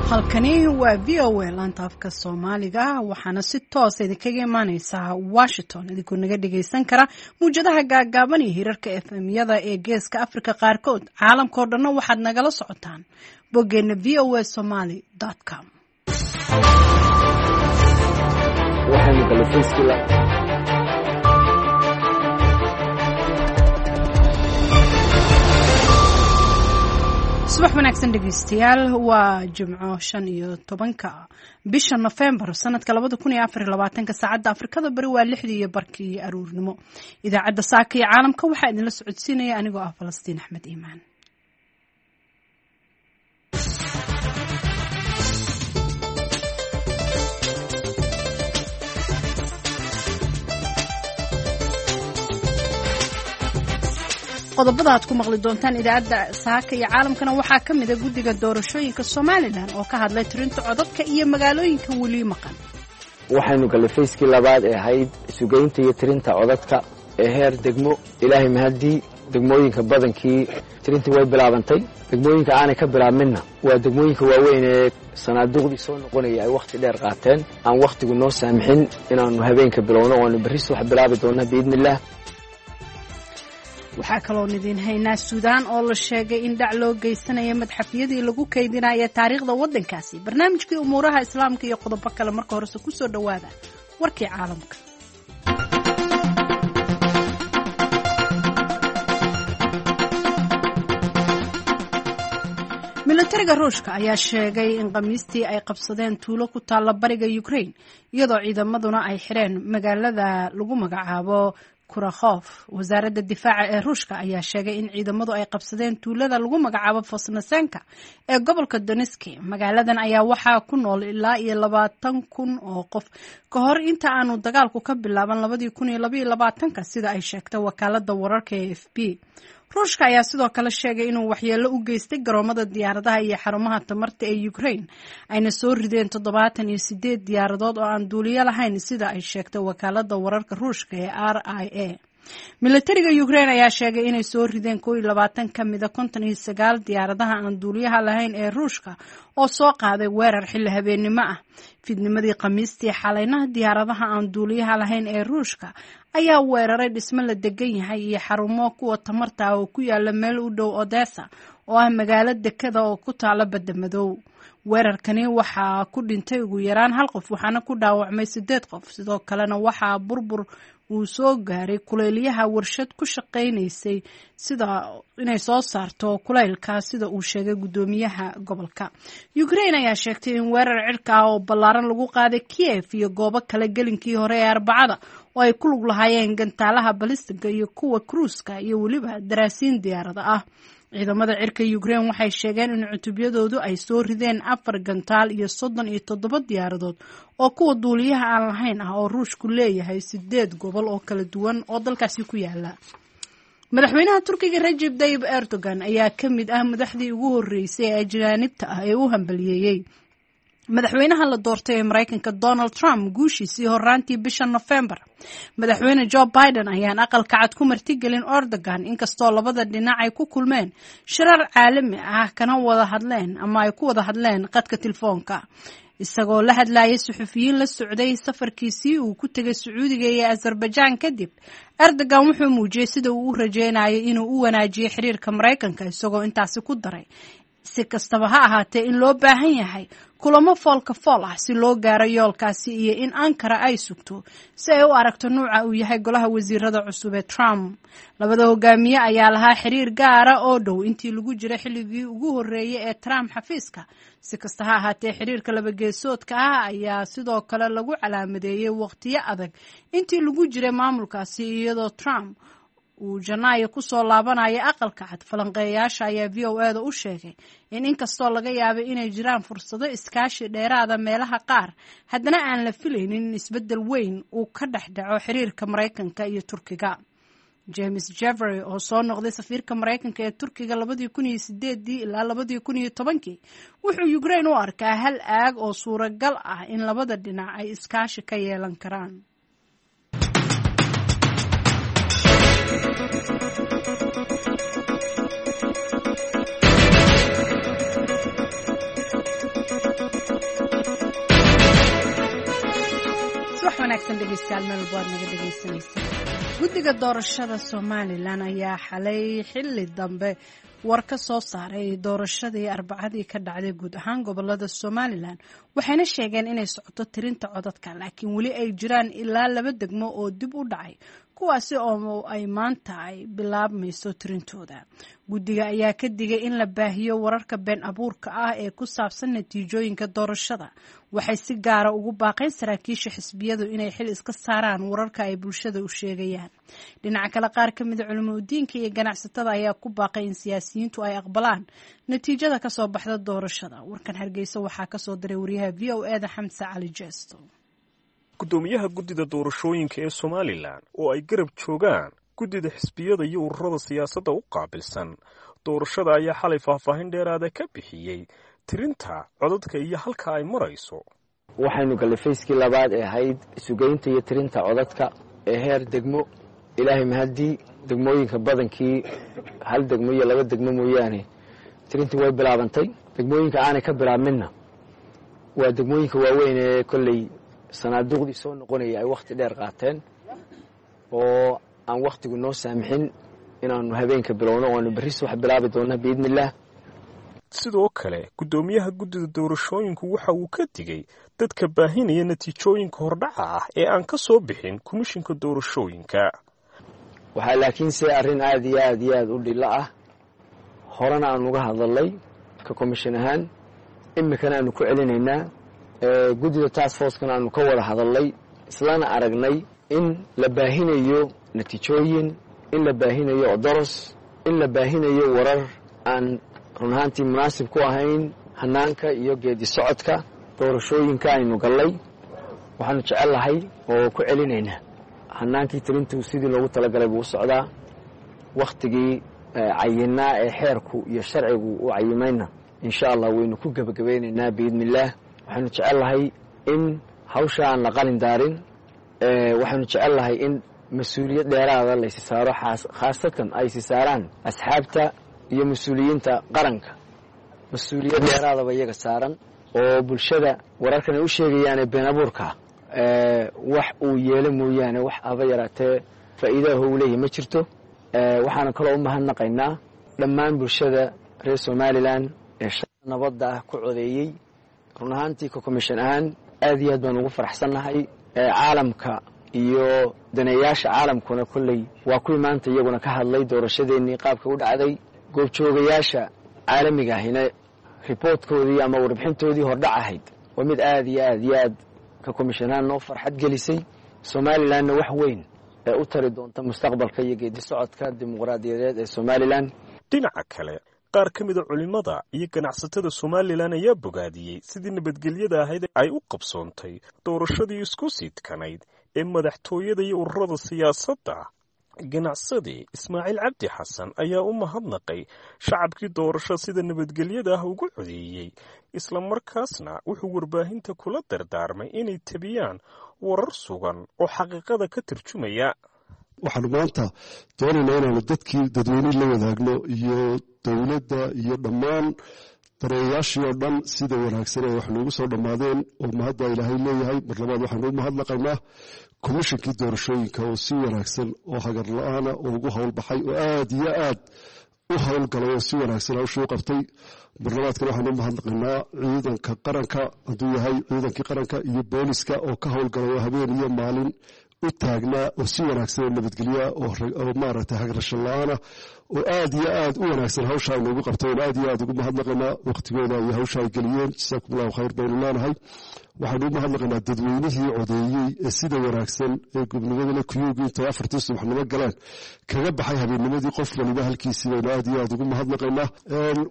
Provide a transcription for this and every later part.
Halkani waa VOA laanta afka Soomaaliga, waxaana si toosa idinkaga imaaneysaa Washington, idinkoo naga dhageysan kara muwjadaha gaagaaban iyo hirarka FM-yada ee Geeska Afrika qaarkood. Caalamkao dhanna waxaad nagala socotaan boggeena voasomali.com. Subax wanaagsan dhegeystayaal, waa Jimco 15-ka bisha Nofembar sanadka 2024-ka. Saacadda Afrikada Bari waa 6:30 aruurnimo. Idaacadda Saaka iyo Caalamka waxaa idinla socodsiinaya anigoo ah Falastiin Axmed Iimaan. Qodobada aad ku maqli doontaan idaacadda Saaka iyo Caalamkana waxaa ka mida guddiga doorashooyinka Somalilan oo ka hadlay tirinta codadka iyo magaalooyinka weli maqan. Waxaynu gallay fayskii labaad ee ahayd sugaynta iyo tirinta codadka ee heer degmo. Ilaahay mahaddii, degmooyinka badankii tirintii way bilaabantay. Degmooyinka aanay ka bilaabminna waa degmooyinka waaweyn ee sanaaduuqdii soo noqonaya ay wakhti dheer qaateen, aan wakhtigu noo saamixin inaannu habeenka bilowno, oanu berri subax bilaabi doonna biidni illaah. Waxaa kaloon idiin haynaa Suudaan oo la sheegay in dhac loo geysanaya madxafyadii lagu kaydinaya taariikhda waddankaasi, barnaamijkii umuuraha Islaamka iyo qodobo kale. Marka horese kusoo dhowaada warkii caalamka. Milatariga Ruushka ayaa sheegay in Khamiistii ay qabsadeen tuulo ku taalla bariga Ukraine, iyadoo ciidamaduna ay xireen magaalada lagu magacaabo Kurakhof. Wasaaradda difaaca ee Ruushka ayaa sheegay in ciidamadu ay qabsadeen tuulada lagu magacaabo Fosnasenka ee gobolka Doneski. Magaaladan ayaa waxaa ku nool ilaa iyo 20,000 oo qof ka hor inta aanu dagaalku ka bilaaban 2022-ka, sida ay sheegtay wakaalada wararka ee AFP. Ruushka ayaa sidoo kale sheegay inuu waxyeelo u geystay garoomada diyaaradaha iyo xarumaha tamarta ee Ukraine, ayna soo rideen 78 diyaaradood oo aan duuliyo lahayn, sida ay sheegtay wakaalada wararka Ruushka ee RIA. Milatariga Ukraine ayaa sheegay inay soo rideen 21 ka mida 59 diyaaradaha aan duuliyaha lahayn ee Ruushka oo soo qaaday weerar xilli habeennimo ah. Fiidnimadii Khamiistii xalaynaha, diyaaradaha aan duuliyaha lahayn ee Ruushka ayaa weeraray dhismo la degan yahay iyo xarumo kuwa tamarta ah oo ku yaala meel u dhow Odessa, oo ah magaalo dekada oo ku taala Badda Madow. Weerarkani waxaa ku dhintay ugu yaraan hal qof, waxaana ku dhaawacmay sideed qof. Sidoo kalena waxaa burbur uu soo gaaray kuleylyaha warshad ku shaqaynaysay sida inay soo saarto kuleylka, sida uu sheegay guddoomiyaha gobolka. Ukraine ayaa sheegtay in weerar cirka ah oo ballaaran lagu qaaday Kiev iyo goobo kale gelinkii hore ee Arbacada, oo ay ku lug lahaayeen gantaalaha balistiga iyo kuwa kruuska iyo weliba daraasiin diyaarada ah. Ciidamada cirka Ukraine waxay sheegeen in cutubyadoodu ay soo rideen afar gantaal iyo 37 diyaaradood oo kuwa duuliyaha aan lahayn ah oo Ruushku leeyahay sideed gobol oo kala duwan oo dalkaasi ku yaala. Madaxweynaha Turkiga Rajeb Tayib Erdogan ayaa ka mid ah madaxdii ugu horreysay ee ajaanibta ah ee u hambaliyeeyey madaxweynaha la doortay ee Maraykanka Donald Trump guushiisii horaantii bisha Nofembar. Madaxweyne Joe Biden ayaan Aqalka Cad ku martigelin Erdogan, inkastoo labada dhinac ay ku kulmeen shirar caalami ah kana wada hadleen ama ay ku wada hadleen qadka telefoonka. Isagoo la hadlayay suxufiyiin la socday safarkiisii uu ku tegay Sacuudiga iyo Azerbaijan kadib, Erdogan wuxuu muujiyey sida uu u rajeynayay inuu u wanaajiyo xiriirka Maraykanka, isagoo intaasi ku daray si kastaba ha ahaatee in loo baahan yahay kulamo foolka fool ah si loo gaaro yoolkaasi, iyo in Ankara ay sugto si ay u aragto nuuca uu yahay golaha wasiirada cusub ee Trump. Labada hogaamiye ayaa lahaa xiriir gaara oo dhow intii lagu jiray xilligii ugu horreeyey ee Trump xafiiska. Si kasta ha ahaatee, xiriirka labageesoodka ah ayaa sidoo kale lagu calaamadeeyey waqtiyo adag intii lagu jiray maamulkaasi, iyadoo Trump uu Janaayo kusoo laabanaya Aqalka Cad. Falanqeeyayaasha ayaa VOA da u sheegay in inkastoo laga yaabay inay jiraan fursado iskaashi dheeraada meelaha qaar, haddana aan la filaynin in isbeddel weyn uu ka dhex dhaco xiriirka Maraykanka iyo Turkiga. James Jeffrey oo soo noqday safiirka Maraykanka ee Turkiga 2008-dii ilaa 2010-kii, wuxuu Ukraine u arkaa hal aag oo suuragal ah in labada dhinac ay iskaashi ka yeelan karaan. Wanaagsan dhegeystayaal, meel walbo aad naga dhegeysanaysa. Guddiga doorashada Somalilan ayaa xalay xilli dambe war ka soo saaray doorashadii Arbacadii ka dhacday guud ahaan gobolada Somalilan, waxayna sheegeen inay socoto tirinta codadka, laakiin weli ay jiraan ilaa laba degmo oo dib u dhacay, kuwaasi oo ay maanta ay bilaabmayso tirintooda. Guddiga ayaa ka digay in la baahiyo wararka been abuurka ah ee ku saabsan natiijooyinka doorashada. Waxay si gaara ugu baaqeen saraakiisha xisbiyadu inay xil iska saaraan wararka ay bulshada u sheegayaan. Dhinaca kale, qaar ka mida culimo udiinka iyo ganacsatada ayaa ku baaqay in siyaasiyiintu ay aqbalaan natiijada kasoo baxda doorashada. Warkan Hargeysa waxaa kasoo diray wariyaha VOA da, Xamse Cali Jesto. Guddoomiyaha guddida doorashooyinka ee Somalilan oo ay garab joogaan guddida xisbiyada iyo ururada siyaasadda u qaabilsan doorashada ayaa xalay faahfaahin dheeraada ka bixiyey tirinta codadka iyo halka ay marayso. Waxaynu gallay phase-kii labaad ee ahayd sugaynta iyo tirinta codadka ee heer degmo. Ilaahay mahaddii, degmooyinka badankii, hal degmo iyo laba degmo mooyaane, tirintii way bilaabantay. Degmooyinka aanay ka bilaabminna waa degmooyinka waaweyn ee kolley sanaaduuqdii soo noqonaya ay wakhti dheer qaateen oo aan wakhtigu noo saamixin inaanu habeenka bilowno, oanu berri subax bilaabi doonna, biidni illaah. Sidoo kale, guddoomiyaha guddida doorashooyinku waxa uu ka digay dadka baahinaya natiijooyinka hordhaca ah ee aan ka soo bixin komishinka doorashooyinka. Waxaa laakiinse arrin aad iyo aad iyo aad u dhilo ah, horena aan uga hadalnay ka komishin ahaan, iminkana aanu ku celinaynaa, guddida task force-kana aanu ka wada hadalnay, islana aragnay in la baahinayo natiijooyin, in la baahinayo odoros, in la baahinayo warar aan run ahaantii munaasib ku ahayn hanaanka iyo geedi socodka doorashooyinka aynu gallay. Waxaanu jecel lahay oo ku celinaynaa, hanaankii tirintu sidii loogu talagalay buu u socdaa. Wakhtigii cayinaa ee xeerku iyo sharcigu u cayimayna, insha Allah, waynu ku gebagabaynaynaa, biidni illaah. Waxaanu jecel lahay in hawsha aan la qalin daarin. Waxaanu jecel lahay in mas-uuliyad dheeraada laysi saaro, khaasatan aysi saaraan asxaabta iyo mas-uuliyiinta qaranka. Mas-uuliyad dheeraadaba iyaga saaran oo bulshada wararkan ay u sheegayaane been abuurka wax uu yeelo mooyaane, wax aba yaraatee faa'iidaha uu leeyahy ma jirto. Waxaana kaloo u mahadnaqaynaa dhammaan bulshada reer Somalilan ee nabadda ah ku codeeyey. Run ahaantii, ka commission ahaan aad iyo aad baan ugu faraxsannahay. Caalamka iyo daneeyaasha caalamkuna kolley waa kuwii maanta iyaguna ka hadlay doorashadeennii qaabka u dhacday. Goobjoogayaasha caalamiga ahina report-koodii ama warbixintoodii hordhac ahayd waa mid aad iyo aad iyo aad ka commission ahaan noo farxad gelisay, Somalilanna wax weyn ee u tari doonta mustaqbalka iyo geedi socodka dimuqraadiyadeed ee Somalilan. Dhinaca kale, qaar ka mida culimmada iyo ganacsatada Somalilan ayaa bogaadiyey sidii nabadgelyada ahayd ay u qabsoontay doorashadii isku sidkanayd ee madaxtooyada iyo ururada siyaasadda. Ganacsade Ismaaciil Cabdi Xasan ayaa u mahadnaqay shacabkii doorasho sida nabadgelyada ah ugu codeeyey, islamarkaasna wuxuu warbaahinta kula dardaarmay inay tabiyaan warar sugan oo xaqiiqada ka tarjumaya. Waxaanu maanta doonaynaa inaanu dadkii dadweynihii la wadaagno iyo dowladda iyo dhammaan dareeyayaashii oo dhan sida wanaagsan ee wax noogu soo dhammaadeen, oo mahadda Ilaahay leeyahay. Mar labaad waxaanu u mahadnaqaynaa komishinkii doorashooyinka oo si wanaagsan oo hagar la-aana oo ugu howlbaxay oo aad iyo aad u howlgalay oo si wanaagsan hawshii u qabtay. Mar labaadkana waxaanu u mahadnaqaynaa ciidanka qaranka, hadduu yahay ciidankii qaranka iyo booliska oo ka howlgalay oo habeen iyo maalin u taagnaa oo si wanaagsan oo nabadgelya oo maaragtay hagrasho la-aana oo aad iyo aad u wanaagsan hawsha ay noogu qabteen, aad iyo aad ugu mahadnaqaynaa waqtigooda iyo hawsha ay geliyeen. Jasaakum Allahu khayr baynu leenahay. Waxaanu u mahadnaqaynaa dadweynihii codeeyey ee sida wanaagsan ee gobnimadana kuyuugii intay 4-tii subaxnimo galeen kaga baxay habeennimadii qof waliba halkiisii baynu aad iyo aad ugu mahadnaqaynaa.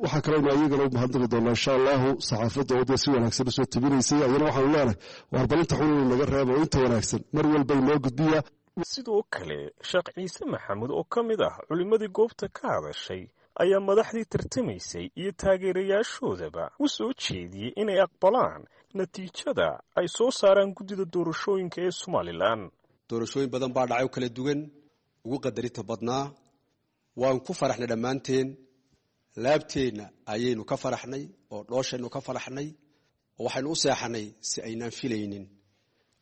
Waxaa kaleynu ayagana u mahadnaqi doonaa, insha Allahu, saxaafadda oo dee si wanaagsan usoo tabinaysay. Ayana waxaanu leenahay waarbalinta xun inuu naga reebo, inta wanaagsan mar walba inoo gudbiya. Sidoo kale, Sheekh Ciise Maxamuud oo ka mid ah culimmadii goobta ka hadashay ayaa madaxdii tartamaysay iyo taageerayaashoodaba u soo jeediyey inay aqbalaan natiijada ay soo saaraan guddida doorashooyinka ee Somalilan. Doorashooyin badan baa dhacay oo kala duwan, ugu qadarinta badnaa. Waan ku faraxnay dhammaanteen, laabteenna ayaynu ka faraxnay oo dhooshaynu ka faraxnay oo waxaynu u seexanay si aynaan filaynin.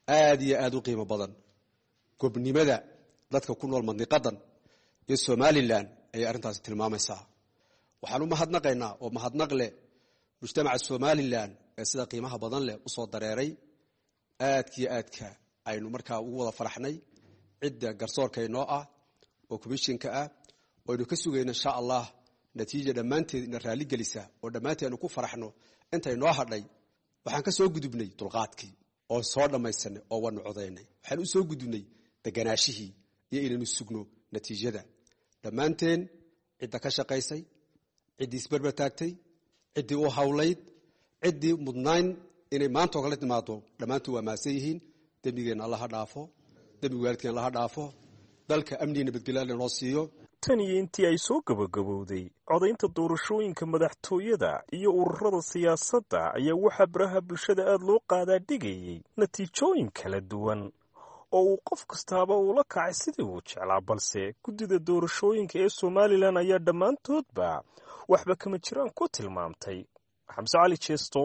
Aad iyo aad u qiimo badan gobnimada dadka ku nool mandiqadan iyo Somalilan ayay arrintaasi tilmaamaysaa. Waxaan u mahadnaqaynaa oo mahadnaq leh mujtamaca Somalilan ee sida qiimaha badan leh u soo dareeray, aadkiyo aadka aynu markaa ugu wada faraxnay cidda garsoorka inoo ah oo komishinka ah oo aynu ka sugayno insha Allah natiija dhammaanteed ina raalli gelisa oo dhammaanteed aynu ku faraxno inta inoo hadhay. Waxaan ka soo gudubnay dulqaadkii oo soo dhammaysanay oo waanu codaynay. Waxaan u soo gudubnay deganaashihii iyo inaynu sugno natiijada. Dhammaanteen cidda ka shaqaysay, ciddii isberber taagtay, ciddii u hawlayd, ciddii mudnayn inay maanta oo kale timaado, dhammaantood waa mahadsan yihiin. Dembigeenna alla ha dhaafo, dembiga waalidkeen alla ha dhaafo, dalka amniga nabadgelyo alla noo siiyo. Tan iyo intii ay soo gabagabowday codaynta doorashooyinka madaxtooyada iyo ururada siyaasadda ayaa waxaa baraha bulshada aada loo qaadaa dhigayay natiijooyin kala duwan oo uu qof kastaaba uula kacay sidii uu jeclaa, balse guddida doorashooyinka ee Somalilan ayaa dhammaantoodba waxba kama jiraan ku tilmaamtay. Xamse Cali Jeesto,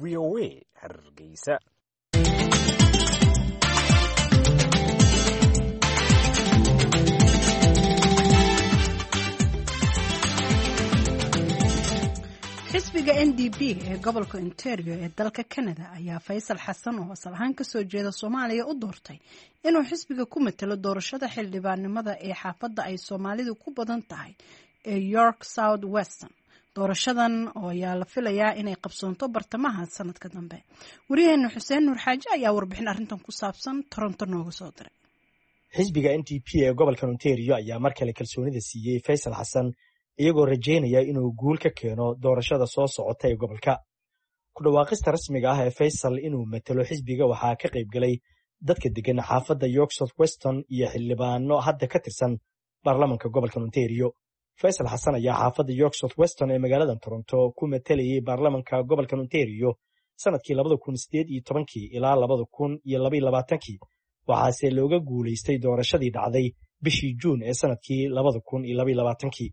VOA, Hargeysa. Xisbiga NDP ee gobolka Ontario ee dalka Canada ayaa Faysal Xasan oo asal ahaan kasoo jeeda Soomaaliya u doortay inuu xisbiga ku matalo doorashada xildhibaannimada ee xaafadda ay Soomaalidu ku badan tahay ee York South Weston. Doorashadan oo ayaa la filayaa inay qabsoonto bartamaha sanadka dambe. Wariyaheena Xuseen Nuur Xaaji ayaa warbixin arrintan ku saabsan Toronto nooga soo diray. Xisbiga NDP ee gobolka Ontario ayaa mar kale kalsoonida siiyey Faysal Xasan, iyagoo rajaynaya inuu guul ka keeno doorashada soo socota ee gobolka. Ku dhawaaqista rasmiga ah ee Faysal inuu matalo xisbiga waxaa ka qayb galay dadka deggan xaafadda York South Weston iyo xildhibaano hadda ka tirsan baarlamanka gobolka Ontario. Faysal Xasan ayaa xaafadda York South Weston ee magaalada Toronto ku matalayay baarlamanka gobolka Ontario sanadkii 2018-kii ilaa 2022-kii, waxaase looga guulaystay doorashadii dhacday bishii Juun ee sanadkii 2022-kii.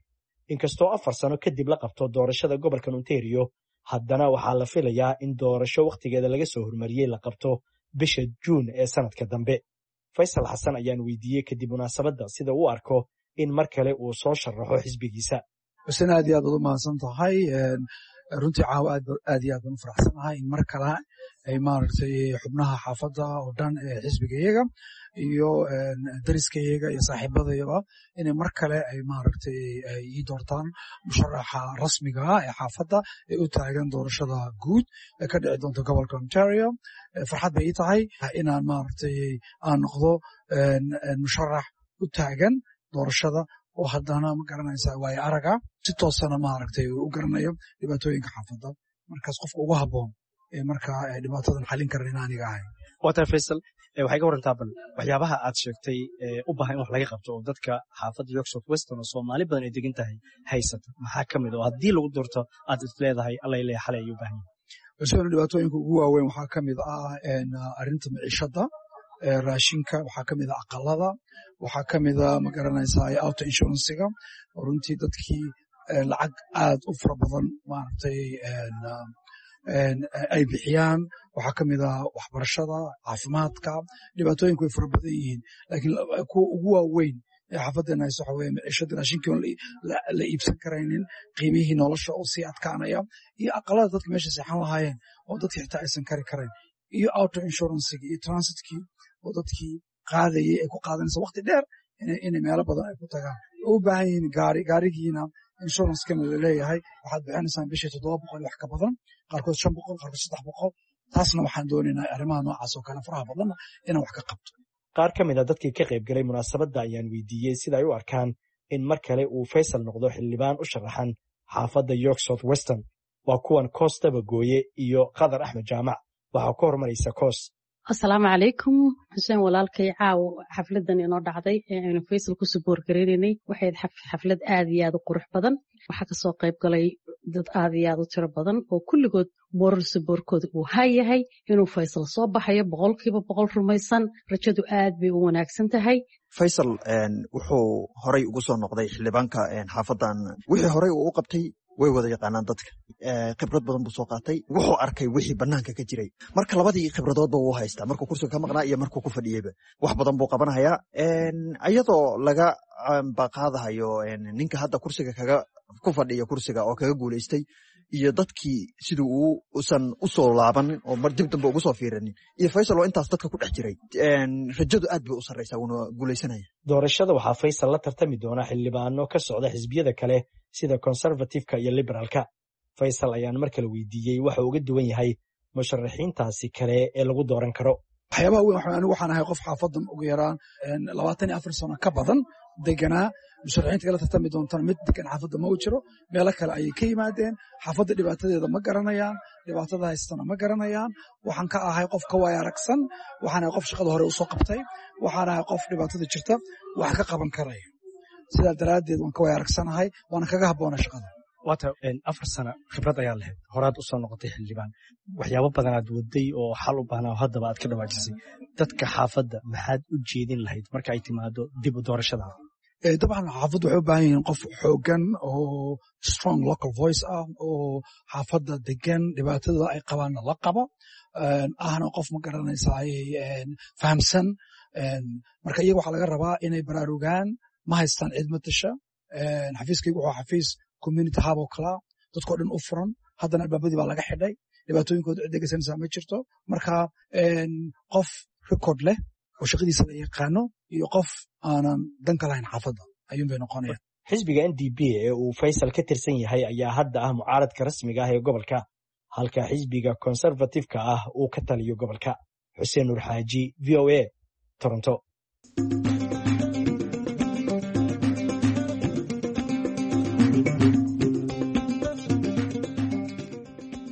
Inkastoo 4 sano kadib la qabto doorashada gobolka Ontario, haddana waxaa la filayaa in doorasho wakhtigeeda laga soo hormariyey la qabto bisha Juun ee sanadka dambe. Faysal Xasan ayaan weydiiyey kadib munaasabadda sida uu arko in mar kale uu soo sharaxo xisbigiisa. Xuseen, aad iyo aad baad u mahadsan tahay. Runtii caawa aad iyo aad baan u faraxsanahay in mar kale ay maaragtay xubnaha xaafadda oo dhan ee xisbigayaga iyo dariskayaga iyo saaxiibadayaba inay mar kale ay maaragtay ay ii doortaan musharaxa rasmiga ah ee xaafadda ee u taagan doorashada guud ee ka dhici doonta gobolka Ontario. Farxad bay ii tahay inaan maaragtay aan noqdo musharax u taagan doorashada oo haddana ma garanaysaa waayo araga si toosana maaragtay u garanayo dhibaatooyinka xaafadda, markaas qofka ugu habboon ee markaa dhibaatadan xallin karan in aniga ahay. Waa tahay Faysal, waxay ka warantaa bal waxyaabaha aad sheegtay u baahan in wax laga qabto oo dadka xaafadda York South Weston oo Soomaali badan ay degan tahay haysata, maxaa ka mid oo haddii lagu doorto aad is leedahay alla leeyahay xalay ayuu u baahan yahay? Xuseen, dhibaatooyinka ugu waaweyn waxaa ka mid ah arrinta maciishadda, raashinka, waxaa ka mid ah aqalada, waxaa ka mid ah ma garanaysaa auto insurance-iga oo runtii dadkii lacag aad u fara badan maaragtay ay bixiyaan. Waxaa ka mid ah waxbarashada, caafimaadka. Dhibaatooyinku way fara badan yihiin, laakiin kuwa ugu waaweyn ee xaafaddeena hayso waxa weeye maciishada, raashinkii oon la iibsan karaynin, qiimihii nolosha oo sii adkaanaya, iyo aqalada dadka meesha seexan lahaayeen oo dadkii xitaa aysan kari karayn, iyo auto insurance-igii iyo transit-kii oo dadkii qaadayay ay ku qaadanaysa waqti dheer inay meelo badan ay ku tagaan oo u baahan yihiin gaari, gaarigiina insurance-kana laleeyahay waxaad bixinaysaan bishii 700 wax ka badan, qaarkood 500, qaarkood 300. Taasna waxaan doonaynaa arrimaha noocaas oo kale faraha badanna inaan wax ka qabto. Qaar ka mid a dadkii ka qayb galay munaasabadda ayaan weydiiyey sida ay u arkaan in mar kale uu Faysal noqdo xildhibaan u sharaxan xaafadda York South Weston. Waa kuwan Koos Dabagooye iyo Qadar Axmed Jaamac. Waxaa ka hormaraysa Koos. Asalaamu calaykum Xuseen walaalkay. Caawo xafladan inoo dhacday ee aynu Faysal ku support gareynaynay waxay xaflad aad iyo aad u qurux badan. Waxaa kasoo qayb galay dad aad iyo aad u tiro badan oo kulligood moral support-kooda uu hayahay inuu Faysal soo baxayo 100% rumaysan. Rajadu aad bay u wanaagsan tahay. Faysal wuxuu horay ugu soo noqday xildhibaanka xaafadan, wixii horey uu u qabtay Way wada yaqaanaan dadka. Khibrad badan buu soo qaatay, wuxuu arkay wixii banaanka ka jiray. Marka labadii khibradoodba wuu haystaa, markuu kursiga ka maqnaa iyo markuu ku fadhiyeyba wax badan buu qabanayaa, iyadoo laga baqaadahayo ninka hadda kursiga kaga ku fadhiya kursiga oo kaga guulaystay iyo dadkii siduu usan u soo laabanin oo mar dib dambe ugu soo fiiranin, iyo Faysal oo intaas dadka ku dhex jiray. Rajadu aad bay u sarreysaa, wuuna guulaysanaya. Doorashada waxaa Faysal la tartami doona xildhibaano ka socda xisbiyada kale sida Conservative-ka iyo Liberaalka. Faysal ayaan mar kale weydiiyey waxa uga duwan yahay musharaxiintaasi kale ee lagu dooran karo. Waxyaabaha weyn, anigu waxaan ahay qof xaafadan ugu yaraan 24 sano ka badan deganaa. Musharaxiinta kala tartami doontana mid degan xaafadda ma u jiro, meelo kale ayay ka yimaadeen. Xaafadda dhibaatadeeda ma garanayaan, dhibaatada haystana ma garanayaan. Waxaan ka ahay qof ka waaya aragsan, waxaan ahay qof shaqada hore usoo qabtay, waxaan ahay qof dhibaatada jirta wax ka qaban karaya. Sidaa daraaddeed waan ka waaya aragsanahay, waana kaga habboona shaqada. Waata 4 sano khibrad ayaa lahayd, horaad usoo noqotay xildhibaan, waxyaabo badanaad waday oo xal u baahnaa oo haddaba aad ka dhawaajisay. Dadka xaafadda maxaad u jeedin lahayd marka ay timaado dib u doorashada? Dabcan xaafaddu waxay u baahan yihiin qof xooggan oo strong local voice ah oo xaafadda degan, dhibaatada ay qabaanna la qabo, ahna qof, ma garanaysaa, fahamsan. Marka iyaga waxaa laga rabaa inay baraarugaan. Ma haystaan cid matasha. Xafiiskaygu wuxuu xafiis community hub oo kalaa, dadkoo dhan u furan. Haddana albaabadii baa laga xidhay, dhibaatooyinkooda cid dhegeysanaysaa ma jirto. Marka qof record leh oo shaqadiisa la yaqaano iyo qof aanan dan ka lahayn xaafadda ayuun bay noqonayaan. Xisbiga NDP ee uu Faysal ka tirsan yahay ayaa hadda ah mucaaradka rasmiga ah ee gobolka, halka xisbiga Conservative-ka ah uu ka taliyo gobolka. Xuseen Nuur Xaaji, VOA, Toronto.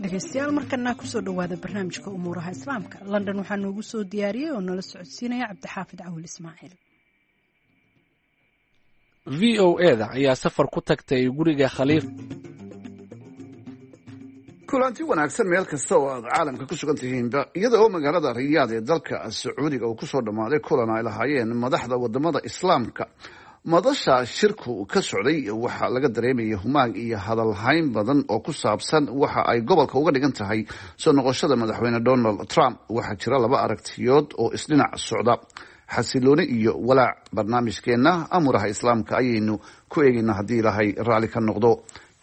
Dhegeystayaal, markana kusoo dhowaada barnaamijka umuuraha Islaamka. London waxaa noogu soo diyaariyey oo nala socodsiinaya Cabdixaafid Cawil Ismaaciil. VOA-da ayaa safar ku tagtay guriga Khaliif. Kulanti wanaagsan meel kasta oo aad caalamka ku sugan tihiinba. Iyada oo magaalada Riyaad ee dalka Sacuudiga uu kusoo dhammaaday kulan ay lahaayeen madaxda wadamada Islaamka, madasha shirku ka socday waxaa laga dareemayay humaag iyo hadalhayn badan oo ku saabsan waxa ay gobolka uga dhigan tahay soo noqoshada madaxweyne Donald Trump. Waxaa jira laba aragtiyood oo isdhinac socda, xasilooni iyo walaac. Barnaamijkeenna amuraha Islaamka ayaynu ku eegaynaa haddii Ilaahay raalli ka noqdo.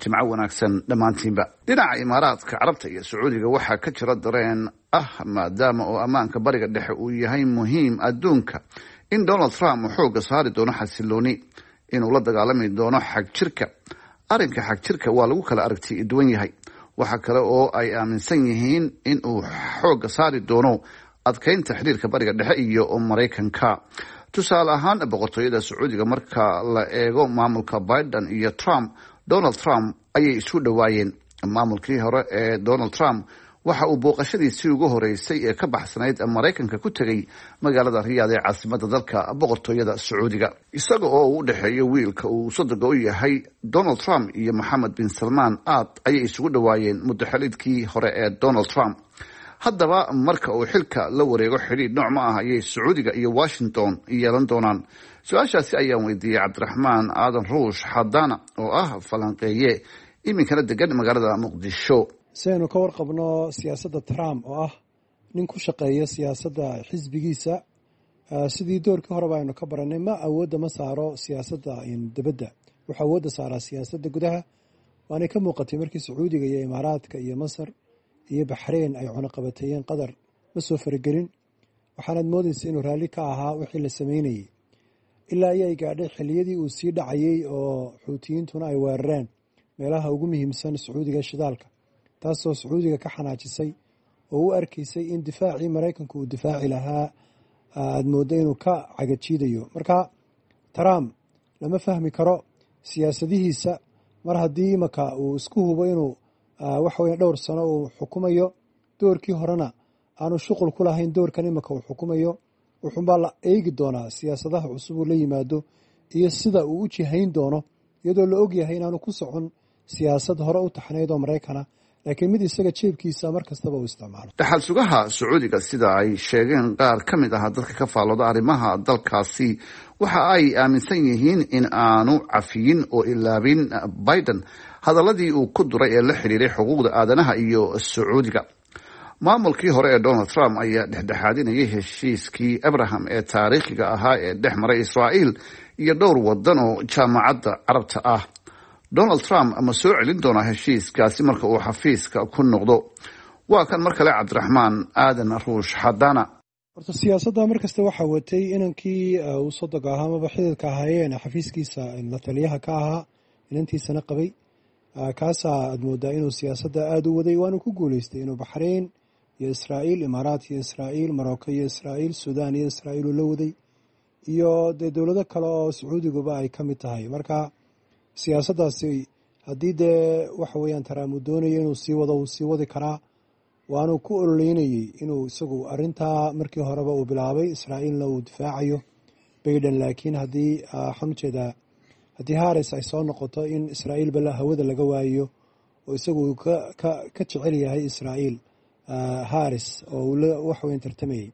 Jimco wanaagsan dhammaantiinba. Dhinaca Imaaraadka Carabta iyo Sacuudiga waxaa ka jira dareen ah, maadaama oo ammaanka Bariga Dhexe uu yahay muhiim adduunka, in Donald Trump uu xoogga saari doono xasilooni, inuu la dagaalami doono xagjirka. Arrinka xagjirka waa lagu kala aragti duwan yahay. Waxa kale oo ay aaminsan yihiin in uu xoogga saari doono adkeynta xiriirka Bariga Dhexe iyo Maraykanka. Tusaale ahaan, boqortooyada Sacuudiga marka la eego maamulka Biden iyo Trump, Donald Trump ayay isu dhowaayeen. Maamulkii hore ee Donald Trump waxa uu booqashadiisii ugu horeysay ee ka baxsanayd Maraykanka ku tegey magaalada Riyaad ee caasimada dalka boqortooyada Sacuudiga, isaga oo uu u dhexeeyo wiilka uu sodoga u yahay Donald Trump iyo Moxamed bin Salmaan. Aad ayay isugu dhowaayeen muddo xiliidkii hore ee Donald Trump. Haddaba marka uu xilka la wareego, xidhiidh nooc ma ah ayay Sacuudiga iyo Washington yeelan doonaan? Su-aashaasi ayaan weydiiyey Cabdiraxmaan Aadan Ruush Xadaana oo ah falanqeeye iminkana degan magaalada Muqdisho. Si aynu ka warqabno siyaasadda Trump oo ah nin ku shaqeeya siyaasadda xisbigiisa, sidii doorkii horeba aynu ka baranay, ma awoodda ma saaro siyaasadda dibadda, wuxuu awoodda saaraa siyaasadda gudaha. Waanay ka muuqatay markii Sacuudiga iyo Imaaraadka iyo Masar iyo Baxreyn ay cunaqabateeyeen Qatar, ma soo faragelin. Waxaanaad moodaysa inuu raalli ka ahaa wixii la sameynayey ilaa ayay gaadhay xilliyadii uu sii dhacayey oo Xuutiyiintuna ay weerareen meelaha ugu muhiimsan Sacuudiga shidaalka, taasoo Sacuudiga ka xanaajisay oo u arkaysay in difaacii Maraykanku uu difaaci lahaa aad mooddo inuu ka cagajiidayo. Marka Trump lama fahmi karo siyaasadihiisa mar haddii imaka uu isku hubo inuu waxaweye dhowr sano uu xukumayo, doorkii horena aanu shuqul ku lahayn doorkan imaka uu xukumayo. Wuxuunbaa la eegi doonaa siyaasadaha cusub uu la yimaado iyo sida uu u jihayn doono, iyadoo la ogyahay inaanu ku socon siyaasad hore u taxnayd oo Maraykana, laakiin mid isaga jeebkiisa mar kastaba uu isticmaalo. Dhaxal sugaha Sacuudiga, sida ay sheegeen qaar ka mid ah dadka ka faallooda arrimaha dalkaasi, waxa ay aaminsan yihiin in aanu cafiyin oo ilaabin Biden. Hadaladii uu ku duray ee la xiriiray xuquuqda aadanaha iyo Sacuudiga. Maamulkii hore ee Donald Trump ayaa dhexdhexaadinayay heshiiskii Abraham ee taariikhiga ahaa ee dhex maray Israa'iil iyo dhowr wadan oo Jaamacadda Carabta ah. Donald Trump ma soo celin doonaa heshiiskaasi marka uu xafiiska ku noqdo? Waa kan mar kale Cabdiraxmaan Aadan Ruush Xadana. Horta siyaasadda mar kasta waxaa watay inankii uu sodoga ahaa amaba xididka ahaayeen, xafiiskiisa la taliyaha ka ahaa, inantiisana qabay. Kaasaa aad moodaa inuu siyaasadda aada u waday, waanu ku guuleystay inuu Baxrayn iyo Israa'iil, Imaaraat iyo Israa'iil, Marocco iyo Israa'iil, Suudaan iyo Israa'iil uu la waday, iyo dee dowlado kale oo Sacuudiguba ay ka mid tahay. Marka siyaasaddaasi haddii dee waxa weeyaan Trump uu doonayo inuu sii wado, wuu sii wadi karaa, waanuu ku ololeynayey inuu isagu arintaa markii horeba uu bilaabay, Israa'iilna uu difaacayo Biden. Laakiin haddii, waxaan ujeedaa, haddii Harris ay soo noqoto, in Israa'iilba hawada laga waayo oo isagu uu ka jecel yahay Israa'iil Harris oo uu wax weyn tartamayey.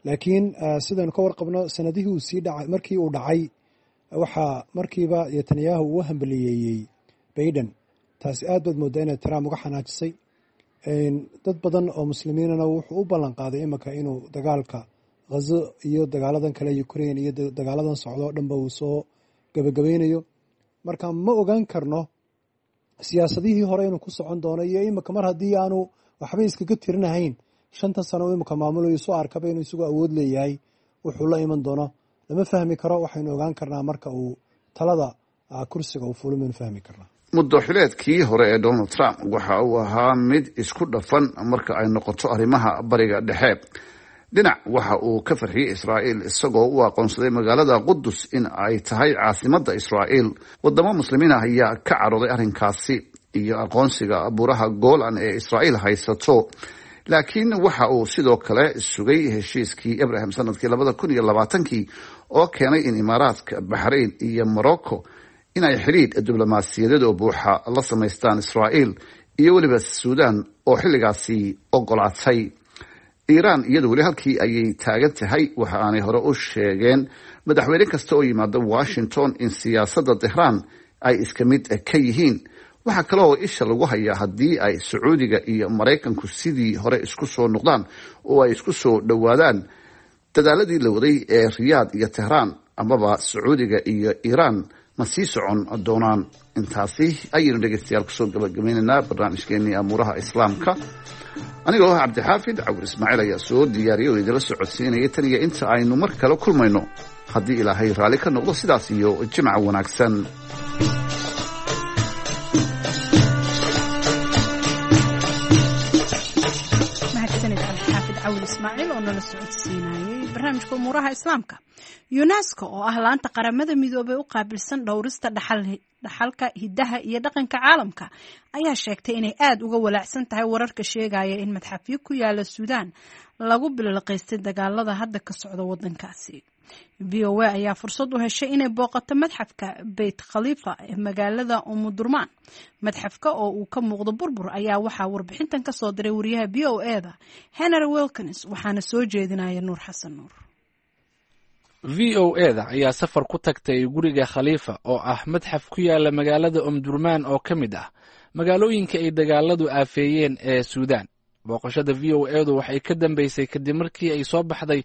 Laakiin sidaynu ka warqabno, sanadihii uu sii dhacay, markii uu dhacay, waxaa markiiba Netanyahu uu hambaliyeeyey Biden. Taasi aad baad moodaa inay Trump uga xanaajisay. Dad badan oo muslimiinana wuxuu u ballan qaaday imika inuu dagaalka Ghazo iyo dagaaladan kale, Ukraine iyo dagaaladan socdo o dhanba, uu soo gabagabeynayo. Marka ma ogaan karno siyaasadihii hore inuu ku socon doono iyo imika, mar haddii aanu waxba iskaga tirinahayn 5-ta sano u imika maamulayo, soo arkaba inuu isagu awood leeyahay, wuxuu la iman doono lama fahmi karo. Waxaynu ogaan karnaa marka uu talada kursiga uu fulo maynu fahmi karnaa. Muddo xileedkii hore ee Donald Trump waxa uu ahaa mid isku dhafan marka ay noqoto arrimaha Bariga Dhexe. Dhinac waxa uu ka farxiyey Israa'iil, isagoo u aqoonsaday magaalada Qudus in ay tahay caasimadda Israa'iil. Wadamo muslimiin ah ayaa ka carooday arrinkaasi iyo aqoonsiga Buuraha Golan ee Israa'iil haysato. Laakiin waxa uu sidoo kale sugay heshiiskii Abraham sanadkii 2020-kii oo keenay in Imaaraadka, Baxrayn iyo Morocco in ay xidhiidh diblomaasiyadeed oo buuxa la samaystaan Israa'iil, iyo weliba Suudan oo xilligaasi ogolaatay. Iiraan iyadu weli halkii ayay taagan tahay. Waxa aanay hore u sheegeen madaxweyne kasta oo yimaada Washington in siyaasadda Tehraan ay iska mid ka yihiin. Waxaa kale oo isha lagu hayaa haddii ay Sacuudiga iyo Maraykanku sidii hore isku soo noqdaan oo ay isku soo dhowaadaan, dadaaladii la waday ee Riyaad iyo Tehraan amaba Sacuudiga iyo Iiraan ma sii socon doonaan? Intaasi ayaynu dhegeystayaal kusoo gabagabaynaynaa barnaamijkeenii Amuuraha Islaamka. Anigoo ah Cabdixaafid Cawir Ismaaciil ayaa soo diyaariyay oo idinla socodsiinaya. Tan iyo inta aynu mar kale kulmayno, haddii Ilaahay raalli ka noqdo, sidaas iyo jimca wanaagsan. Mahadsanid Cabdixaafid Cawil Ismaaciil oo nala socodsiinayay barnaamijka Umuuraha Islaamka. UNESCO oo ah laanta Qaramada Midoobay u qaabilsan dhowrista dhaxalka hidaha iyo dhaqanka caalamka ayaa sheegtay inay aada uga walaacsan tahay wararka sheegaya in madxafyo ku yaala Suudaan lagu bililiqaystay dagaalada hadda ka socda wadankaasi. VOA ayaa fursad u heshay inay booqato madxafka Beyt Khalifa ee magaalada Umudurmaan. Madxafka oo uu ka muuqdo burbur ayaa waxaa warbixintan ka soo diray wariyaha VOA-da Henry Wilkins, waxaana soo jeedinaya Nuur Xasan Nuur. VOA-da ayaa safar ku tagtay guriga Khaliifa oo ah madxaf ku yaala magaalada Omdurmaan oo ka mid ah magaalooyinka ay dagaaladu aafeeyeen ee Suudaan. Booqashada VOA-du waxay ka dambeysay kadib markii ay soo baxday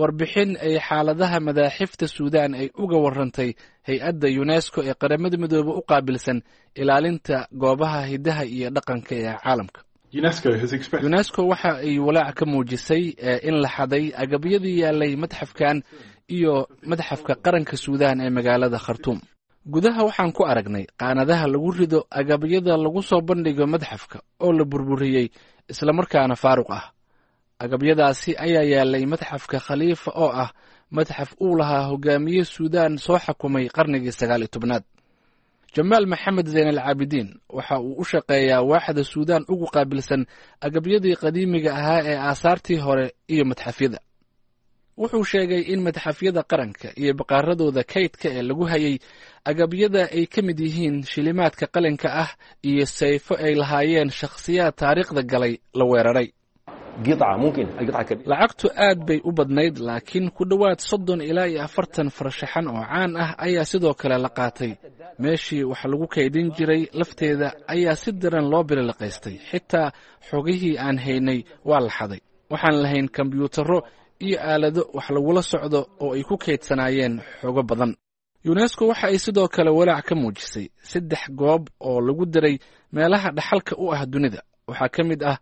warbixin ay xaaladaha madaaxifta Suudaan ay uga warantay hay-adda UNESCO ee Qaramada Midoobe u qaabilsan ilaalinta goobaha hidaha iyo dhaqanka ee caalamka. UNESCO waxa ay walaac ka muujisay in la xaday agabyadii yaalay madxafkan iyo madxafka qaranka Suudaan ee magaalada Khartuum. Gudaha waxaan ku aragnay qaanadaha lagu rido agabyada lagu soo bandhigo madxafka oo la burburiyey islamarkaana faaruq ah. Agabyadaasi ayaa yaalay madxafka Khaliifa oo ah madxaf uu lahaa hogaamiye Suudaan soo xakumay qarnigii 19aad. Jamaal Maxamed Zeyn al Caabidiin waxa uu u shaqeeyaa waaxda Suudaan ugu qaabilsan agabyadii qadiimiga ahaa ee aasaartii hore iyo madxafyada. Wuxuu sheegay in madxafyada qaranka iyo baqaaradooda kaydka ee lagu hayay agabyada ay ka mid yihiin shilimaadka qalinka ah iyo sayfo ay lahaayeen shakhsiyaad taariikhda galay la weeraray. Lacagtu aad bay u badnayd, laakiin ku dhowaad 30 ilaa iyo 40 farshaxan oo caan ah ayaa sidoo kale la qaatay. Meeshii wax lagu kaydin jiray lafteeda ayaa si daran loo bililiqaystay. Xitaa xogihii aan haynay waa la xaday. Waxaan lahayn kombyuutarro iyo aalado wax lagula socdo oo ay ku kaydsanaayeen xogo badan. Yunesko waxa ay sidoo kale walaac ka muujisay 3 goob oo lagu diray meelaha dhaxalka u ah dunida. Waxaa ka mid ah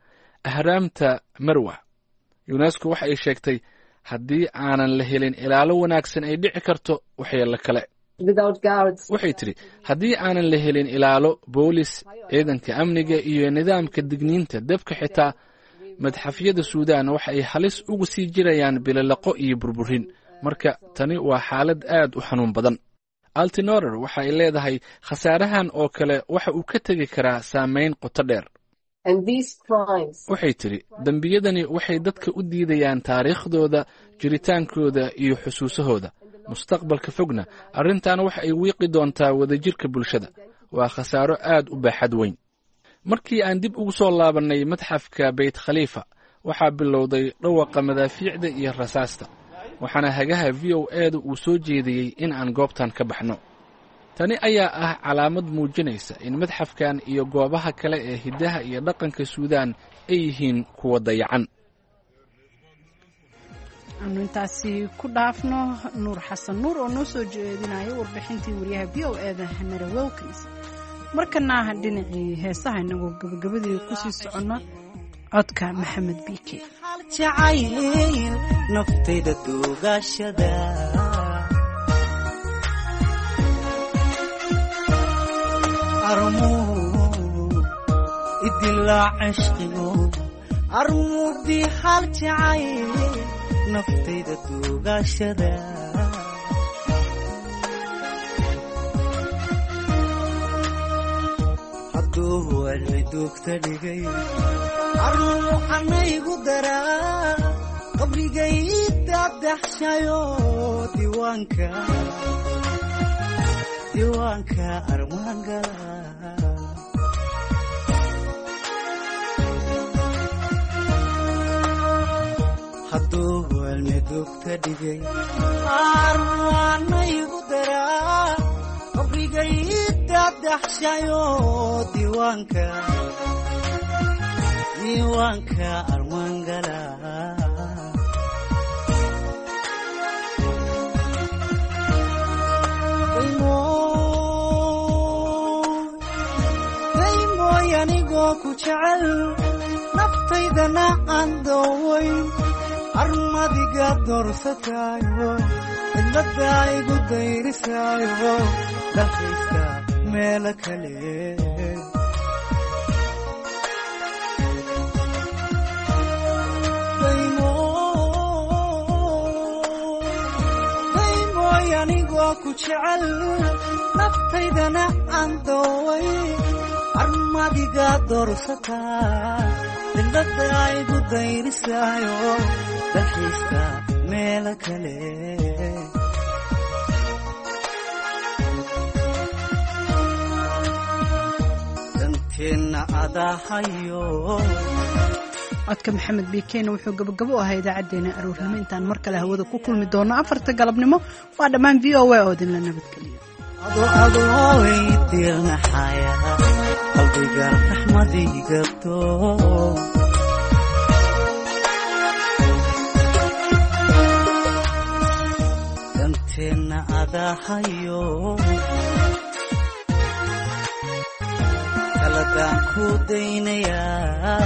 ahraamta Marwa. Yunesko waxa ay sheegtay haddii aanan la helin ilaalo wanaagsan ay dhici karto waxyeello kale. Waxay tidhi haddii aanan la helin ilaalo boolis, ciidanka amniga iyo nidaamka digniinta dabka, xitaa madxafyada Suudaan waxa ay halis ugu sii jirayaan bililaqo iyo burburin. Marka tani waa xaalad aad u xanuun badan. Altinorer waxa ay leedahay khasaarahan oo kale waxa uu ka tegi karaa saameyn qoto dheer. Waxay tidhi dembiyadani waxay dadka u diidayaan taariikhdooda, jiritaankooda iyo xusuusahooda. Mustaqbalka fogna arrintan waxa ay wiiqi doontaa wadajirka bulshada. Waa khasaaro aad u baaxad weyn. Markii aan dib ugu soo laabannay madxafka Beyt Khaliifa, waxaa bilowday dhawaqa madaafiicda iyo rasaasta, waxaana hagaha VOA-da uu soo jeediyey in aan goobtan ka baxno. Tani ayaa ah calaamad muujinaysa in madxafkan iyo goobaha kale ee hiddaha iyo dhaqanka Suudaan ay yihiin kuwa dayacan. Aanu intaasi ku dhaafno Nuur Xasan Nuur oo noo soo jeedinaya warbixintii wariyaha VOA-da Hanara Wilkins. Markana dhinacii heesaha inagoo gabagabadii kusii soconno, codka Maxamed Biike. Jacayl naftayda duugashada armuu idilaa cishqigu armuudii hal jacayl naftayda duugashada hadduu cilmi duugta dhigay armuu anaygu daraa qabrigay daadaxshayo diiwaanka diiwaanka armaangala. Hadduu cilmi duugta dhigay armaanaygu daraa qabrigay daadaxshayo diiwaanka diiwaanka armaangala. Daymoy anigoo ku jecel naftaydana aan doowayn armadiga doorsataayo cidladaa igu dayrisaayo dalxiiska meelo kale. Daymoy anigoo ku jecel naftaydana aan dooway armadiga doorsataa cidladaa igu dayrisaayo dalxiiska meelo kale. Danteenna adahayo. Codka Maxamed Biikeyna wuxuu gabagabo u ahaa idaacadeena aroornimo. Intaan mar kale hawada ku kulmi doono 4ta galabnimo, waa dhammaan VOA oo idinla nabadgeliyo. Adoy diirnaxaya qalbiga raxmadigabto danteenna adahayo kaladaan ku daynayaa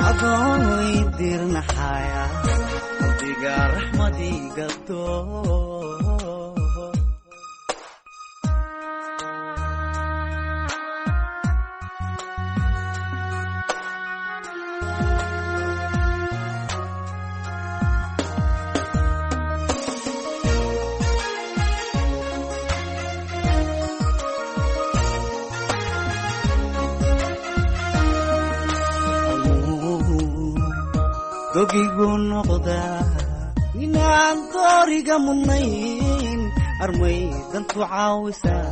adoy diirnaxaya qalbiga raxmadigabto. Dogigu noqdaa inaan dooriga mudnayn armay dantu caawisaa.